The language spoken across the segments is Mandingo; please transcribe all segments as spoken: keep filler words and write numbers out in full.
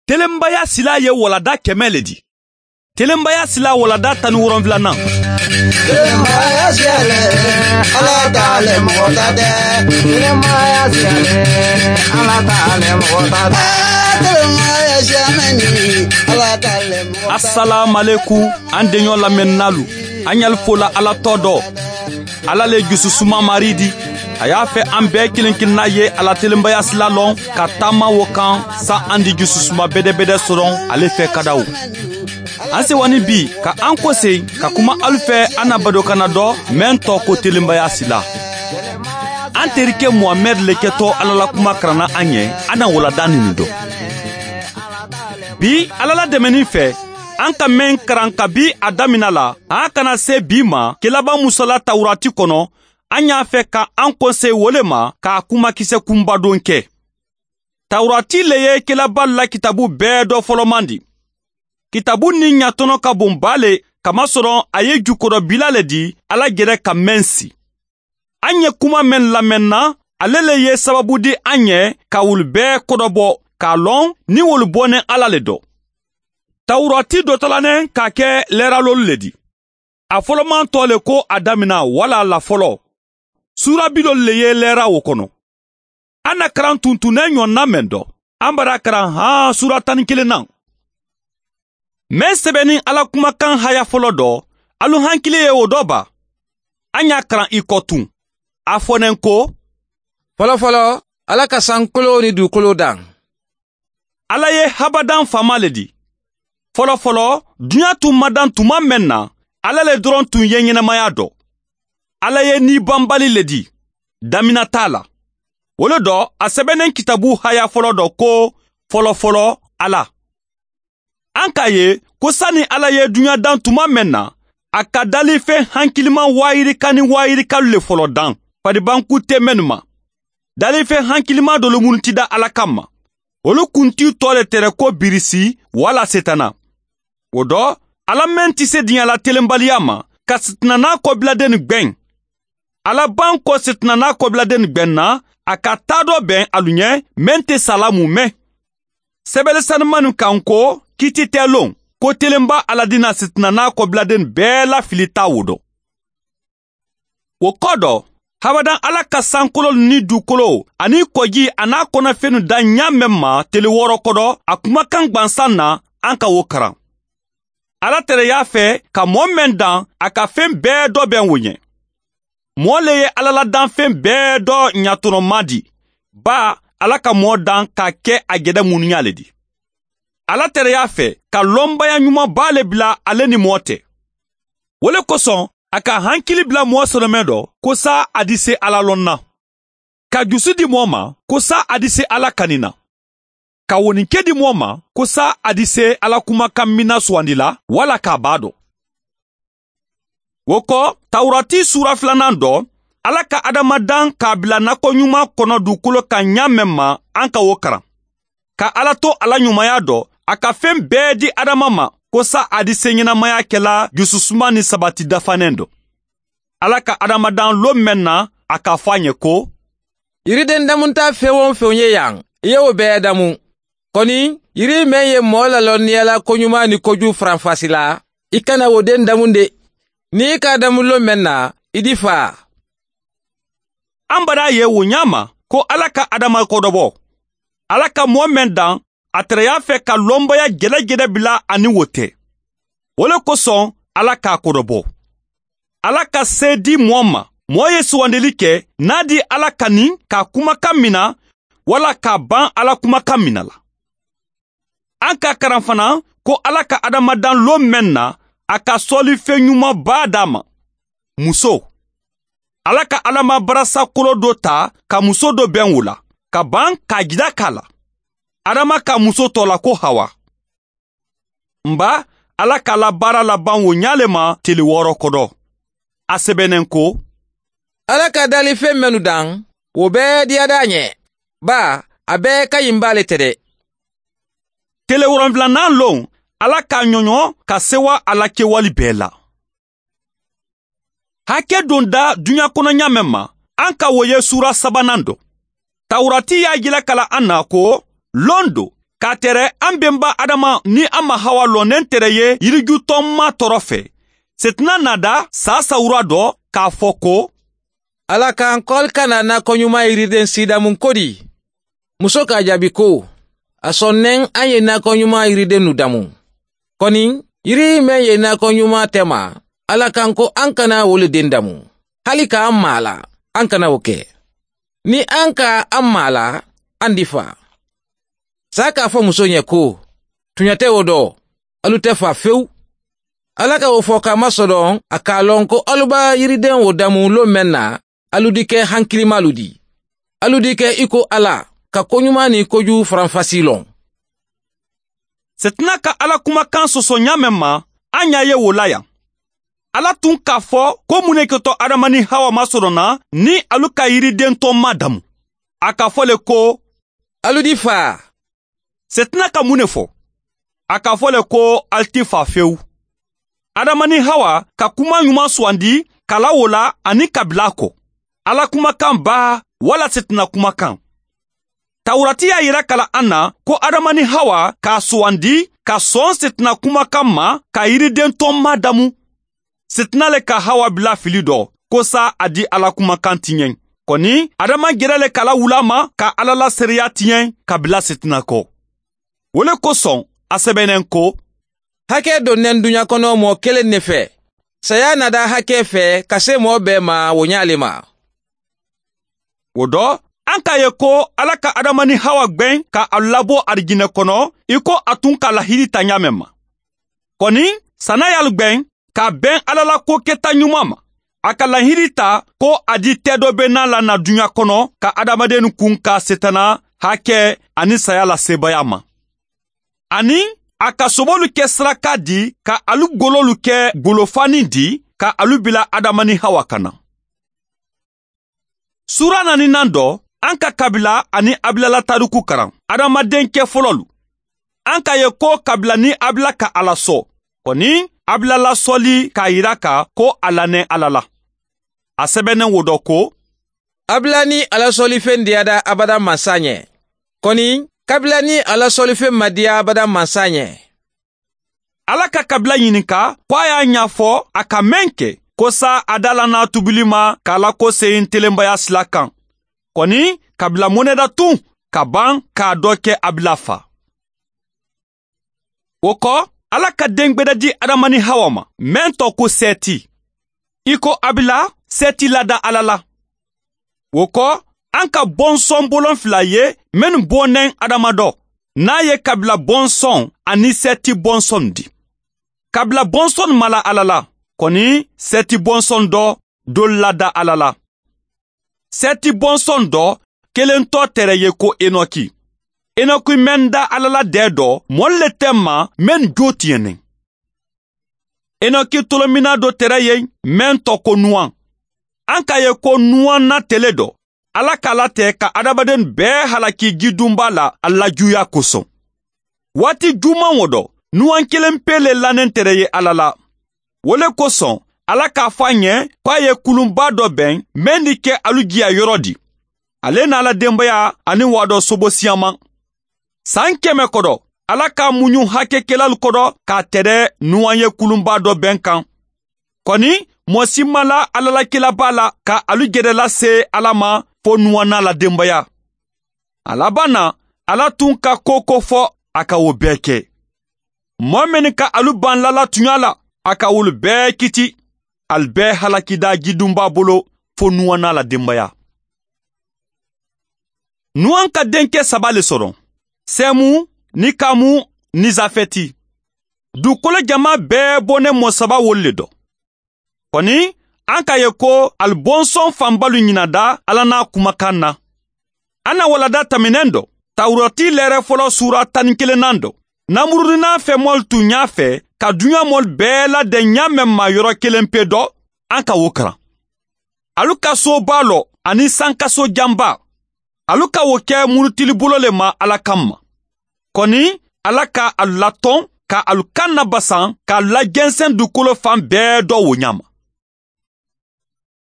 Telenbaya silaa ye walada kɛmɛ le di. Telenbaya silaa walada tan ni wolonwulanan. Telenbaya silaa le, ala ta le mɔgɔ ta tɛ. Telenbaya silaa le, ala ta le mɔgɔ ta tɛ. Telenbaya silaa mɛni, ala ta le mɔgɔ ta tɛ. Asalaamalekum, an deɲɔ lamɛnninaalu, an ɲali fola ala tɔ dɔ. Ala le jususuma mari di. A y'a fɛ an bɛɛ kelen kelenna ye a la telenbaya sila lɔn ka taama wo kan, sa an di jususuma bedebede soron ale fɛ kadaw. An sewani bi ka an kosegin ka kuma alu fɛ, an na badokanna dɔ meŋ tɔ ko telenbaya sila. An terike muhamɛdi le kɛtɔ ala la kuma karanna an ye. An na walada nini dɔn. Bi ala la dɛmɛni fɛ, an ka meŋ karan kabi a damina la, a kana se bi ma kelaban musa la tawurati kɔnɔ. An y'a fɛ ka an kɔnse wo le ma k'a kumakisɛ kunbadon kɛ. Tawurati le ye kelaba la kitabu bɛɛ dɔ fɔlɔman di. Kitabu ni ɲatɔnɔ ka bon baa le, kamasɔrɔ a ye jukodɔbila le di ala jɛrɛ ka meŋ si. An ye kuma meŋ lamɛnna, ale le ye sababu di an ye ka wolu bɛɛ kɔdɔbɔ, k'a lɔn ni wolu bɔnnen ala le dɔ. Tawurati dɔtɔlanen ka kɛ lɛralolu le di. A fɔlɔman tɔ le ko a damina wala la fɔlɔ. Suura bilolu le ye lɛra wo kɔnɔ. An na karan tuntunnen ɲɔgɔnna meŋ dɔ, an bara karan han suura tan ni kelen na. Meŋ sɛbɛnnin ala kumakan haya fɔlɔ dɔ, alu hankili ye wo dɔ ba? An y'a karan i kɔ tun. A fɔ ne ko, fɔlɔfɔlɔ, ala ka sankoloo ni dugukolo dan. Ala ye habadan faama le di. Fɔlɔfɔlɔ, duɲa tun ma dan tuma meŋ na, ala le doroŋ tun ye ɲɛnamaya dɔ. Ala ye nibanbali le di, damina t'a la. Wo le dɔ, a sɛbɛnnen kitabu haya fɔlɔ dɔ ko, fɔlɔfɔlɔ, ala. An k'a ye ko sani ala ye duɲa dan tuma meŋ na, a ka dalifen hankiliman waayirika ni waayirikalu le fɔlɔ dan, faribankun te mennu ma. Dalifen hankiliman dolu minnu ti da ala kamma, wolu kuntiyu tɔ le tere ko birisi walla setana. Wo dɔ, ala meŋ ti se diɲa la telenbaliya ma ka setanana kɔbiladenni gbeŋ. Ala baŋ ko setanana kɔbiladenni gbeŋ na, a ka taa dɔ beŋ alu ɲɛ meŋ te sala mu meŋ. Sebele sanimannu kaŋ ko kiiti te loŋ ko telenba ala dina setanana kɔbiladenni bee la fili taa wo dɔ. Wo kɔ dɔ, habadan ala ka sankololu ni dukolo aniŋ kɔji aniŋ a konafennu daŋ ɲaa meŋ ma tele wɔɔrɔ kɔdɔ, a kumakan gbansaŋ na, an ka wo karan. Ala tereya fɛ ka moo meŋ daŋ, a ka feŋ bee dɔ beŋ wo ɲɛ. Moo le ye ala la danfeŋ bee dɔ ɲatonomaa di. Baa, ala ka moo daŋ k'a ke a jede munuɲa le di. Ala tereya fɛ ka lonbaya ɲumanbaa le bila ale ni moo te. Wo le kosoŋ, a ka hankili bila moo sonomee dɔ ko saa a di se ala loŋ na, ka jusu di moo ma ko saa a di se ala kani na, ka woninke di moo ma ko saa a di se ala kumakan mina suwandi la walla ka a baa dɔ. Wo ko, tawurati suura filanan dɔ, ala ka adamadan k'a bila nakɔɲuman kɔnɔ dugukolo kan ɲaa meŋ ma, an ka wo karan. Ka ala to a la ɲumaya dɔ, a ka feŋ bee di adama ma ko sa a di seɲenamaya kela jususuma ni sabati dafanen dɔ. Ala ka adamadan lon meŋ na, a ka fo a ɲe ko, yiriden damunta feŋ-wo-feŋ ye yan, i ye wo bee damu. Koni, yiri meŋ ye moo lalonniya la koɲuman ni koju faranfasi la, i kana wo den damu de. Niŋ i ka a damu lon meŋ na, i di faa. An bara ye wo ɲaama ko ala ka adama kodobɔ. Ala ka moo meŋ daŋ, a taraya fɛ ka lonbaya jelejele bila a ni wo te. Wo le kosoŋ, ala ka a kodobɔ. Ala ka see di moo ma, moo ye suwandili ke, niŋ a di ala kani ka a kumakan mina, walla ka a baŋ ala kumakan mina la. An ka a karan fanaŋ ko ala ka adamadan loo meŋ na, a ka soolifen ɲuman baa daa ma. Musoo, ala ka adama barasa kolo do taa ka musoo do beŋ wo la, ka baŋ ka a jida ka a la. Adama ka musoo too la ko hawa. Mba, ala ka a la baara labaŋ wo ɲaa le ma tili wooro kodo. A sebeneŋ ko, ala ka dalifeŋ mennu daŋ, wo bee diyada a ɲe. Baa, a bee ka yimba le te de. Tele woronfilanaŋ loŋ, ala ka a ɲoɲo ka sewa a la kewali bee la. Hake donda duɲa kono ɲaameŋ ma, an ka wo ye suura sabanaŋ do. Tawurati ye a jila kala an na ko, loŋ do, a tere an benba adama ni an ma hawa loneŋ tere ye yiriju tɔnma tɔrɔ fɛ. Setina naada saa sawura dɔ k'a fɔ ko, ala kan ko ali kana naakɔɲuman yiriden si damun kodi. Muso k'a jaabi ko, a sɔn neŋ an ye naakɔɲuman yiridennu damun. Kɔni, yiri meŋ ye naakɔɲuman tema, ala kan ko an kana wo le den damun. Hali ka an maa la, an kana wo ke. Ni an ka an maa la, an di faa. Saa k'a fɔ muso ɲɛ ko, tuɲa tɛ wo dɔ, alu tɛ faa fewu. Ala ka wo fɔ k'a masɔdɔn a k'a lɔn ko alu b'a yiriden wo damun lon meŋ na, alu di kɛ hankilimaalu di. Alu di kɛ i ko ala ka koɲuman ni kojugu faranfasi lɔn. Setina ka ala kumakan sɔsɔ ɲaameŋ ma, an y'a ye wo la yan. Ala tun k'a fɔ ko mun ne kɛtɔ adama ni hawa masɔrɔna ni alu ka yiriden tɔn ma damu. A ka fɔ le ko, alu di faa. Setina ka mun ne fɔ? A ka fɔ le ko, alu ti faa fewu. Adama ni hawa ka kuma ɲuman sugandi ka lawola ani ka bila a kɔ. Ala kumakan baa wala setina kumakan? Tawurati y'a yira ka la an na ko adama ni hawa k'a sugandi ka sɔn setina kumakan ma ka yiriden tɔn madamu. Setina le ka hawa bila fili dɔ ko sa a di ala kumakan tiɲɛ. Kɔni, adama jɛrɛ le ka lawuli a ma ka ala la seereya tiɲɛ ka bila setina kɔ. Wo le kosɔn, a sɛbɛnnen ko, hakɛ donnen duɲa kɔnɔ mɔɔ kelen ne fɛ, saya nada hakɛ fɛ ka se mɔɔ bɛɛ ma, wo ɲaale ma. Wo dɔ, an k'a ye ko ala ka adama ni hawa gbɛn ka alu labɔ arijinɛ kɔnɔ i ko a tun ka lahidi ta ɲaameŋ ma. Kɔni, sanna y'alu gbɛn k'a bɛn ala la ko kɛta ɲuman ma. A ka lahidi ta ko a di tɛ dɔ be n'a la na duɲa kɔnɔ ka adamadenw kun ka setana hakɛ ani saya la sebaaya ma. Ani a ka sobolu ke saraka di ka alu gololu ke golofanni di ka alu bila adama ni hawa kanna. Suura naaninan dɔ, an ka kabila ani abila la taariku karan, adamaden ke fololu. An ka ye ko kabila ni abila ka ala sɔ, kɔni, abila la sɔli k'a yira ka ko a lannen ala la. A sɛbɛnnen wo dɔ ko, abila ni ala sɔlifen diyada abada mansa ɲɛ. Kɔni, kabila ni ala sɔlifen ma diya abada mansa ɲɛ. Ala ka kabila ɲininka ko a y'a ɲafɔ a ka meŋ ke ko sa a da la n'a tubili ma k'a la ko seyin telenbaya sila kan. Kɔni, kabila monɛda tun ka ban k'a dɔ ke abila fa. Wo kɔ, ala ka den gbɛdɛ di adama ni hawa ma meŋ tɔ ko sɛti. I ko abila, sɛti lada ala la. Wo kɔ, an ka bɔnsɔn bolon fila ye mennu bonnen adama dɔ, n'a ye kabila bɔnsɔn ani sɛti bɔnsɔn di. Kabila bɔnsɔn mala ala la, kɔni, sɛti bɔnsɔn dɔ dolu lada ala la. Sɛti bɔnsɔn dɔ kelentɔ tere ye ko enoki. Enoki meŋ da ala la dɛɛ dɔ, moolu le teŋ ma mennu joo tiɲɛnen. Enoki tolominaa do tere ye meŋ tɔ ko nuwaŋ. An ka ye ko nuwaŋ na tele dɔ, ala ka a late ka adamadenw bee halaki jidunbaa la a lajuuyaa kosoŋ. Waati jumaŋ wo dɔ, nuwaŋ kelen pee le lannen tere ye ala la. Wo le kosoŋ, ala k'a fo a ɲe ko a ye kulunbaa dɔ beŋ meŋ di ke alu jiya yɔrɔ di. Ale n'a la denbaya ani waadɔ sobo siyaŋ maŋ. San keme kodo, ala k'a muɲu hakekelalu kodo k'a tede nuwaŋ ye kulunbaa do beŋ kaŋ. Koni, moo si maŋ la ala la kilabaa la ka alu jede lase ala ma fo nuwaŋ n'a la denbaya. A labaŋ na, ala tun ka ko ko fo, a ka wo bee ke. Moo mennu ka alu baŋ lala tuɲa la, a ka wolu bee kiti. Ali bee halaki daa jidunbaa bolo fo nuwaŋ n'a la denbaya. Nuwaŋ ka denke saba le soroŋ, semu, ni kamu, ni zafeti. Dukolo jamaa bee bonemoo saba wolu le do. Koni, an ka ye ko ali bonsɔn fanbalu ɲinada ala n'a kumakan na. An na walada tamineŋ do, tawurati leere folo suura tan ni kelennaŋ do, namuruninaa femoolu tu ɲaa fe ka duɲa moolu bee ladeŋ ɲaa meŋ ma yoro kelen pe do. An ka wo karaŋ. Alu ka soo baa lo aniŋ sankaso janbaa, alu ka wo ke murutili bolo le ma ala kamma. Koni, ala ka alu latoŋ ka alu kaŋ nabasaŋ ka alu la jenseŋ dukolo faŋ bee do wo ɲaama.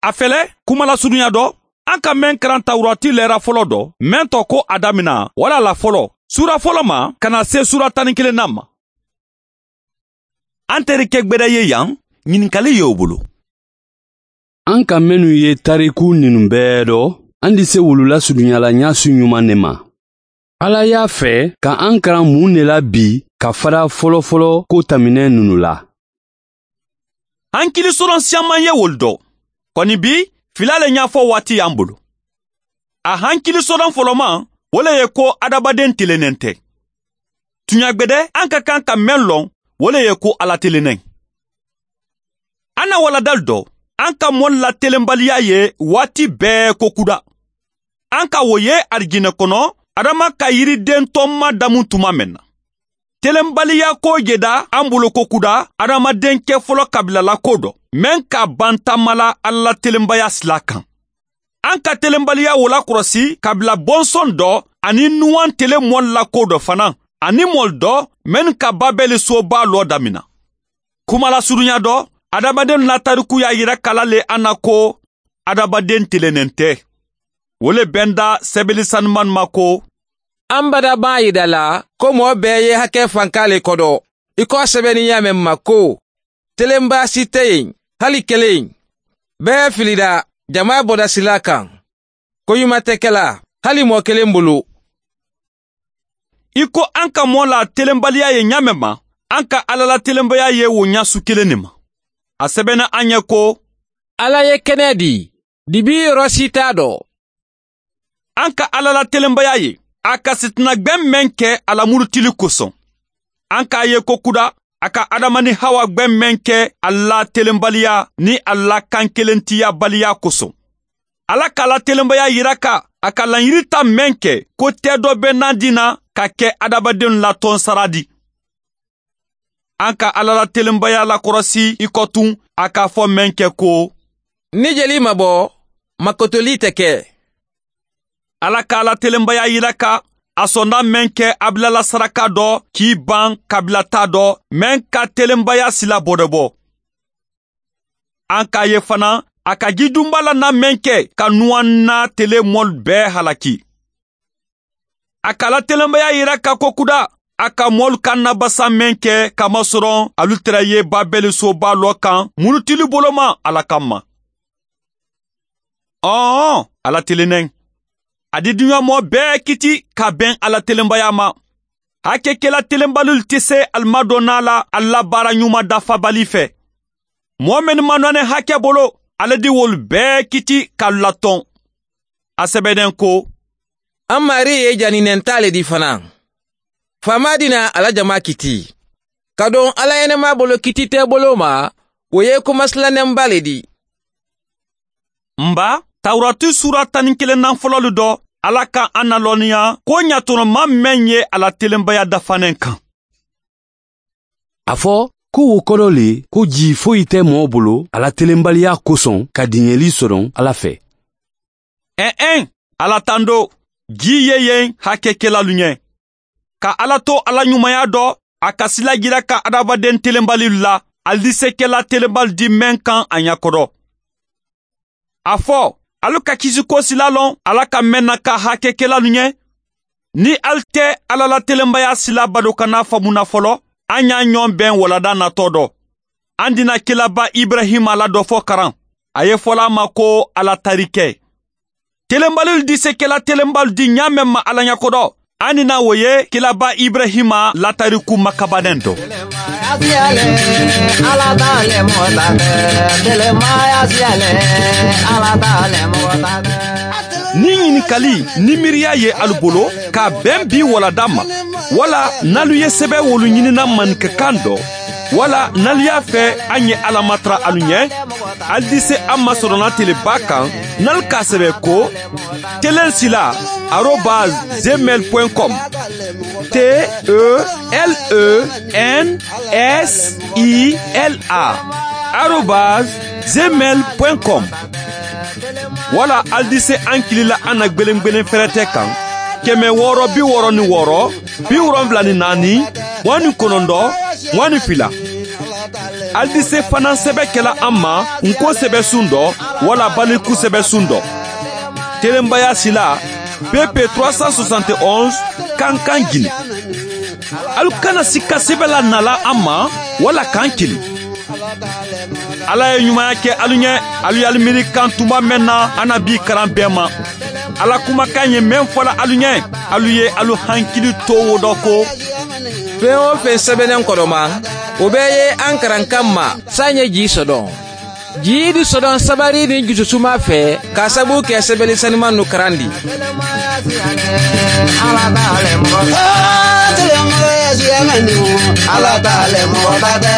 A fele, kumalasurunya do, an ka meŋ karaŋ tawurati leera folo do meŋ to ko a damina wala a la folo, Suura folo ma ka naa see suura tan ni kelennan ma. An teri ke gbeda ye yan, ɲininkali ye wo bolo. An ka mennu ye tariku ninnu bee do, an di se wolu lasuruɲa la ɲaasu ɲuman ne ma. Ala y'a fɛ ka an karan mun ne la bi ka fara fɔlɔfɔlɔ ko taminɛ ninnu la? Hankili soron siyanman ye wolu do. Kɔni bi, filaa le ɲaafɔ waati y'an bolo. A hankili soron foloman, wo le ye ko adamaden telennen tɛ. Tuɲagbede, an ka kan ka men lon, wo le ye ko Ala telennen. An na waladalu do, an ka moolu la telenbaliya ye waati bee ko kuda. An ka wo ye arijinɛ kono, adama ka yiriden tɔnma damu tuma men na. Telenbaliya ko jeda an bolo ko kuda adamaden kɛ fɔlɔ kabilala ko do, men ka ban taama la Ala la telenbaya sila kan. An ka telenbaliya wo lakɔlɔsi kabila bɔnsɔn do ani nuwan tele moolu la ko do fana, ani moolu do mennu ka babeli soba lɔ damina. Kumalasurunya do, adamadenw la tarikuya yira kala le an na ko adamaden telennen tɛ. Wo le benda sɛbɛli sanuman ma ko: An bada b'a yida la ko moo bee ye hake fanka le kodo, i ko a sɛbɛni ɲaamen ma ko: Telenbaya si tɛ yen, hali kelen. Bee filida, jama bɔda sila kan. Ko ɲuman tɛ kɛla, hali moo kelen bolo. I ko an ka moo la telenbaliya ye ɲaamen ma, an ka Ala la telenbaya ye wo ɲaasu kelen ne ma. A sɛbɛnna an ye ko: Ala ye kɛnɛ di, dibi yɔrɔ si t'a dɔ. An ka Ala la telenbaya ye, a ka sitina gbɛn men kɛ a la murutili kosɔn. An k'a ye ko kuda, a ka Adama ni Hawa gbɛn men kɛ a la telenbaliya ni a la kankelentiyabaliya kosɔn. Ala k'a la telenbaya yira ka a ka laɲiri ta men kɛ ko tɛ dɔ bɛ nan di na ka kɛ adamadenw la tɔnsara di. An ka Ala la telenbaya lakɔlɔsi i kɔ tun, a k'a fɔ men kɛ ko: Ni jeli ma bɔ, makotoli tɛ kɛ. Ala k'a la telenbaya yira ka a sɔnda men kɛ a bilala saraka dɔ k'i ban kabila ta dɔ men ka telenbaya sila bɔdɛbɔ. An k'a ye fana, a ka jidunba la na men kɛ ka nuwan na tele mɔlu bɛɛ halaki. A ka la telenbaya yira ka ko kuda, a ka mɔlu ka nabasa men kɛ ka masɔrɔ alu tɛrɛ ye babeli soba lɔ kan, murutili boloman Ala kanma. Ɔɔ, Ala telennen. A di duɲamɔɔ bɛɛ kiti ka bɛn Ala telenbaya ma. Hakekela telenbalilu tɛ se alimadonna la Ala baara ɲuman dafabali fɛ. Moo mennu ma nɔnɛ hake bolo, Ala di wolu bɛɛ kiti ka latɔn. A sɛbɛnnen ko: An Maarii ye janinɛntaa le di fana. Faamaa di na a la jama kiti. Kadoŋ Ala yenemaa bolo kiti tɛ bolo ma, wo ye kumasilannenba le di. N ba, Tawurati suura tan ni kelennan fololu do, Ala ka an nalɔnniya ko ɲatɔnɔma men ye a la telenbaya dafanen kan. A fɔ ko wo kɔrɔ le ko jii foyi tɛ moo bolo a la telenbaliya kosɔn ka diɲɛli soron Ala fɛ. Ɛn-ɛn, Ala tando, jii ye yen hakekelalu ɲɛ. Ka Ala to a la ɲumanya do, a ka sila jira ka adamaden telenbalilu la, ali di se kela telenbali di men kan a ɲakodɔ. A fɔ, alu ka kisiko sila lon Ala ka men na ka hakekelalu ɲɛ. Ni ali tɛ Ala la telenbaya sila badokana famu na folo, an y'a ɲɔn bɛn walada natɔ do. An di na kilaba Ibrahima la dɔ fɔ karan. A ye fola a ma ko Ala tarikɛ. Telenbalilu di se kela telenbalu di ɲaamen ma Ala ɲakodɔ. An di na wo ye kilaba Ibrahima la tariku makabanen do. Ni ɲininkali ni miiriya ye alu bolo, k'a bɛn bi walada ma, wala n'alu ye sɛbɛ wolu ɲinina maninkakan do, wala n'alu y'a fɛ an ye Ala matara alu ɲɛ, alu di se an ma sɔrɔna teleba kan, n'alu k'a sɛbɛ ko telen sila arobase gmail point com. T E L E N S I L A arobase gmail point com. Wala alu di se an kili la an na gbelengbelen fɛrɛtɛ kan, kɛmɛ wɔɔrɔ bi wɔɔrɔ ni wɔɔrɔ, bi wolonwula ni naani, mugan ni kɔnɔntɔn, mugan ni fila. Alu di se fana sɛbɛ kɛla an ma nko sɛbɛsun dɔ, wala baliku sɛbɛsun dɔ. Telenbaya sila P P trois cent soixante et onze, kankan jine. Alu kana sikka sebe la nala a ma wala kan kili. Ala ye ɲumaya ke alu ɲe. Alu ye alu miiri kan tuma men na a na bii karan bee ma. Ala kumakan ye men fola alu ɲe, alu ye alu hankili to wo do ko. Fen wo fen sebenen kodoma, wo bee ye an karan kan ma. Saaɲe jii sodon, jii di sodon sabari ni jususuma fe, ka sabu ke sebeli sanimannu karandi. Ala taale mɔgɔ ba tɛ.